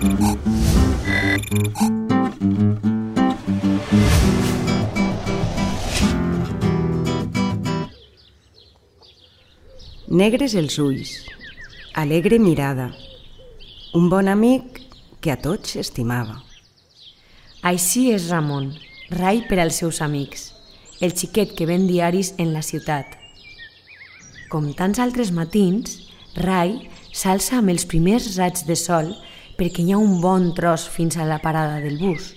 Negres els ulls, alegre mirada, un bon amic que a tots estimava. Així és Ramon, rai per als seus amics, el xiquet que ven diaris en la ciutat. Com tants altres matins, Rai s'alça amb els primers raigs de sol perquè hi ha un bon tros fins a la parada del bus.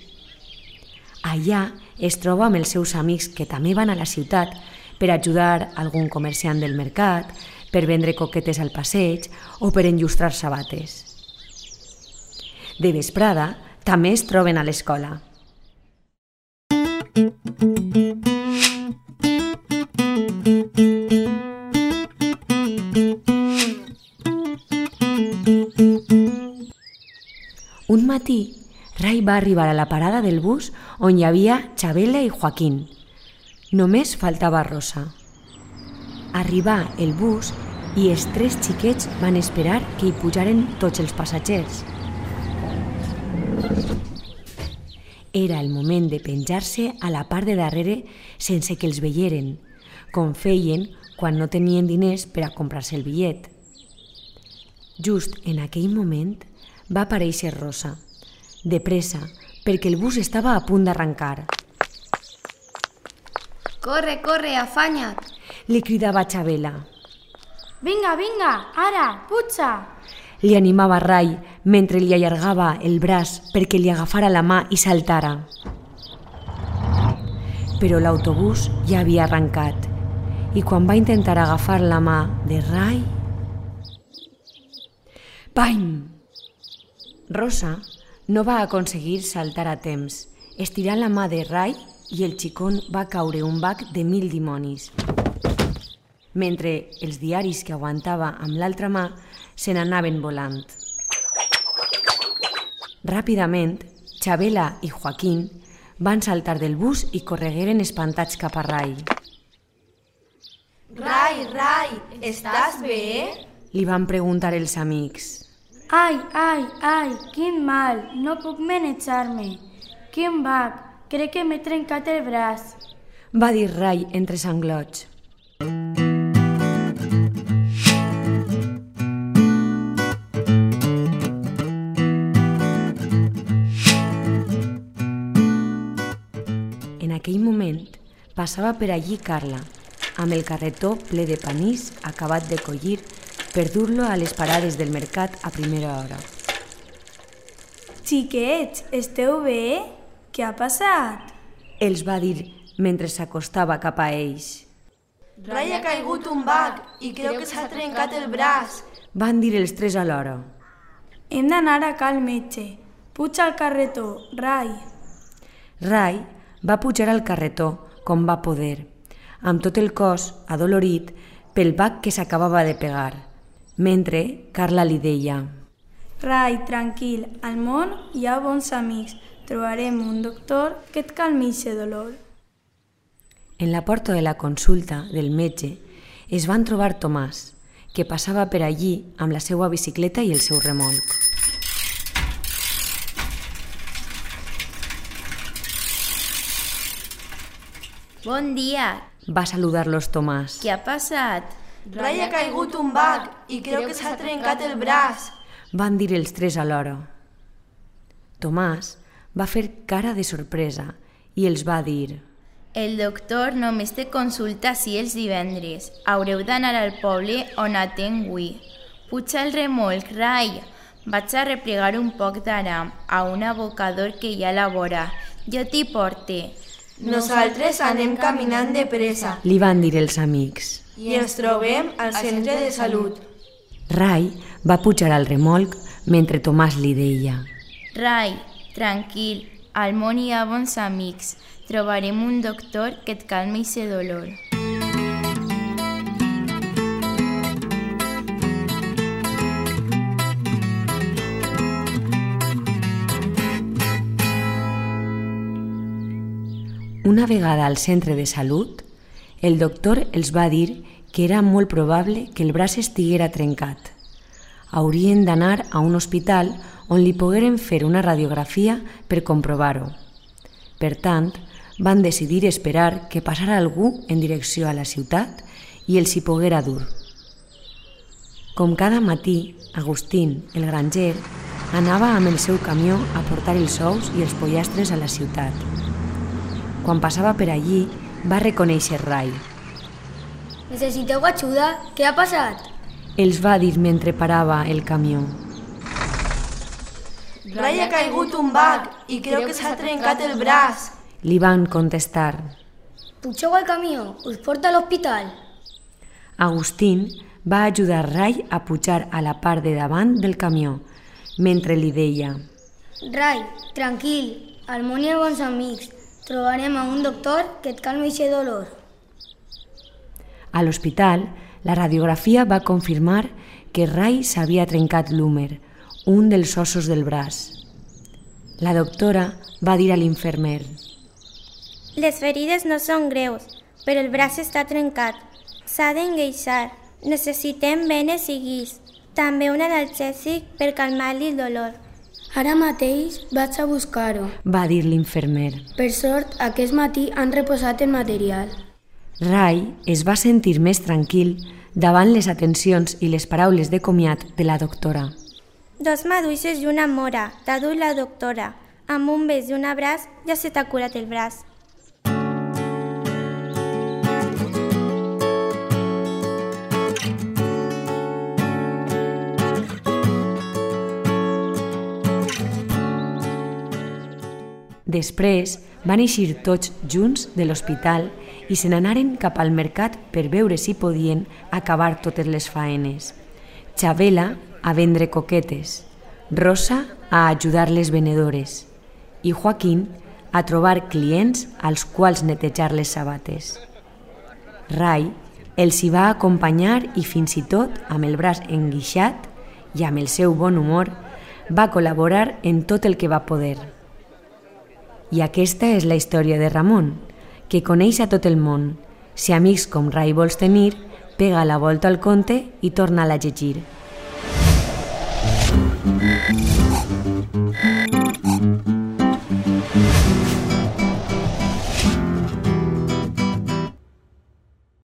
Allà es troba amb els seus amics que també van a la ciutat per ajudar algun comerciant del mercat, per vendre coquetes al passeig o per enllustrar sabates. De vesprada també es troben a l'escola. Un matí, Rai va arribar a la parada del bus on hi havia Chabela i Joaquín. Només faltava Rosa. Arribà el bus i els tres xiquets van esperar que hi pujaren tots els passatgers. Era el moment de penjar-se a la part de darrere sense que els veieren, com feien quan no tenien diners per a comprar-se el bitllet. Just en aquell moment va aparèixer Rosa, de pressa, perquè el bus estava a punt d'arrencar. Corre, corre, afanya't! Li cridava Chabela. Vinga, vinga, ara, puja! Li animava Rai mentre li allargava el braç perquè li agafara la mà i saltara. Però l'autobús ja havia arrencat i quan va intentar agafar la mà de Rai... Pam! Rosa no va aconseguir saltar a temps, estirant la mà de Rai i el xicón va caure un bac de 1000 dimonis. Mentre els diaris que aguantava amb l'altra mà se n'anaven volant. Ràpidament, Chabela i Joaquín van saltar del bus i corregueren espantats cap a Rai. Rai, Rai, estàs bé? Li van preguntar els amics. Ai, ai, ai, quin mal, no puc manejar-me. Quin bac, crec que m'he trencat el braç. Va dir Rai entre sanglots. En aquell moment passava per allí Carla, amb el carretó ple de panís acabat de collir per dur-lo a les parades del mercat a primera hora. Xiquets, esteu bé? Què ha passat? Els va dir mentre s'acostava cap a ells. Rai ha caigut un bac i creu que s'ha trencat el braç. Van dir els tres alhora. Hem d'anar a cal metge. Puja al carretó, Rai. Rai va pujar al carretó com va poder, amb tot el cos adolorit pel bac que s'acabava de pegar, mentre Carla li deia: Rai, tranquil, al món hi ha bons amics. Trobarem un doctor que et calmi aquest dolor. En la porta de la consulta del metge es van trobar Tomàs, que passava per allí amb la seva bicicleta i el seu remolc. Bon dia. Va saludar-los Tomàs. Què ha passat? Rai ha caigut un bac i creu que s'ha trencat el braç. Van dir els tres alhora. Tomàs va fer cara de sorpresa i els va dir: El doctor només té consulta si els divendres. Haureu d'anar al poble on atenc avui. Puja el remolc, Rai. Vaig a replegar un poc d'aram a un abocador que hi ha a la vora. Jo t'hi porte. Nosaltres anem caminant de pressa li van dir els amics. i ens trobem al centre de salut. Rai va pujar al remolc mentre Tomàs li deia: Rai, tranquil, al món hi ha bons amics. Trobarem un doctor que et calmi ese dolor. Una vegada al centre de salut, el doctor els va dir que era molt probable que el braç estiguera trencat. haurien d'anar a un hospital on li pogueren fer una radiografia per comprovar-ho. Per tant, van decidir esperar que passara algú en direcció a la ciutat i els hi poguera dur. Com cada matí, Agustín, el granger, anava amb el seu camió a portar els ous i els pollastres a la ciutat. Quan passava per allí, va reconèixer Ray. Necessiteu ajuda? Què ha passat? Els va dir mentre parava el camió. Ray ha caigut un bac i creu que s'ha trencat el braç. Li van contestar. Pugeu al camió, us porta a l'hospital. Agustín va ajudar Ray a pujar a la part de davant del camió, mentre li deia: Ray, tranquil, al món hi ha bons amics. Trobarem a un doctor que et calmi aquest dolor. A l'hospital, la radiografia va confirmar que Ray s'havia trencat l'húmer, un dels ossos del braç. La doctora va dir a l'infermer: Les ferides no són greus, però el braç està trencat. S'ha d'engueixar. Necessitem venes i guix. També un analgèsic per calmar-li el dolor. Ara mateix vaig a buscar-ho. Va dir l'infermer. Per sort, aquest matí han reposat el material. Ray es va sentir més tranquil davant les atencions i les paraules de comiat de la doctora. 2 maduixes i una mora, t'ha dut la doctora. Amb un bes i un abraç ja se t'ha curat el braç. Després van eixir tots junts de l'hospital i se n'anaren cap al mercat per veure si podien acabar totes les faenes. Xabela a vendre coquetes, Rosa a ajudar les venedores i Joaquín a trobar clients als quals netejar les sabates. Ray els hi va acompanyar i fins i tot amb el braç enguixat i amb el seu bon humor va col·laborar en tot el que va poder. I aquesta és la història de Ramon, que coneix a tot el món. Si amics com Ray vols tenir, pega la volta al conte i torna-la a llegir.